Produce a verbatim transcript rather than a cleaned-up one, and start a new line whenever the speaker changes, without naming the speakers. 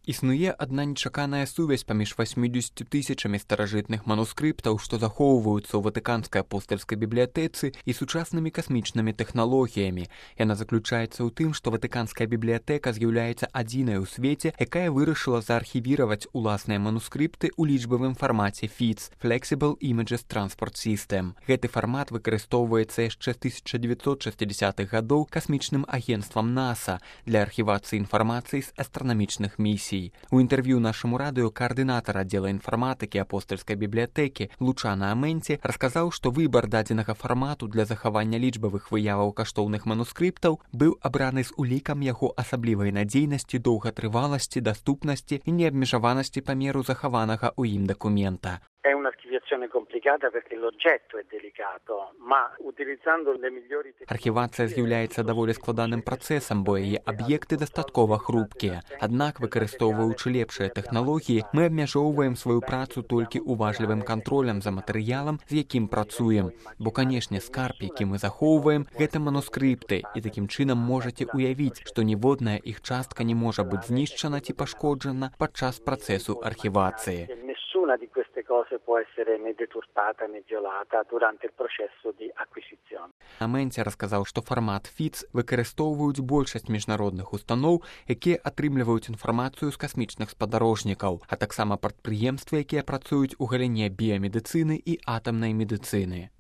Існуе адна нечаканая сувязь паміж васьмідзесятю тысячамі старажытных манускрыптаў, што захоўваюцца ў ватыканскай апостальскай бібліятэцы і сучаснымі касмічнымі тэхналогіямі. Яна заключаецца ў тым, што ватыканская бібліятэка з'яўляецца адзінай у свеце, якая вырашыла заархівіраваць уласныя манускрыпты ў лічбавым фармаце эф ай ці – Flexible Images Transport System. Гэты фармат выкарыстоўваецца яшчэ з тысяча дзевяцьсот шэсцідзясятых гадоў касмічным агенцтвам NASA для архівацыі інфармацыі з астранамічных місій. У інтэрв'ю нашаму радыё каардынатар аддзела інфарматыкі апостальскай бібліятэкі Лучана Аменці расказаў, што выбар дадзенага фармату для захавання лічбавых выяваў каштоўных манускрыптаў быў абраны з улікам яго асаблівай надзейнасці, доўгатрываласці, даступнасці і неабмежаванасці памеру захаванага ў ім дакумента.
È un'archiviazione complicata perché l'oggetto è delicato, ma utilizzando le migliori tecnologie...
Архівацыя з'яўляецца даволі складаным працэсам, бо яе аб'екты дастаткова хрупкія. Аднак, выкарыстоўваючы лепшыя тэхналогіі, мы абмяжоўваем сваю працу толькі уважлівым кантролем за матэрыялам, з якім працуем. Бо, канешне, скарб, які мы захоўваем, гэта манускрыпты, і такім чынам можаце уявіць, што ніводная іх частка не можа быць знішчана ці пашкоджана падчас працэсу архівацыі.
Nessuna di queste cose può essere né deturpata né violata durante il processo di acquisizione.
Аменці расказаў, што фармат эф ай ці выкарыстоўваюць большасць міжнародных устаноў, якія атрымліваюць інфармацыю з касмічных спадарожнікаў, а таксама прадпрыемствы, якія працуюць у галіне біямедыцыны і атамнай медыцыны.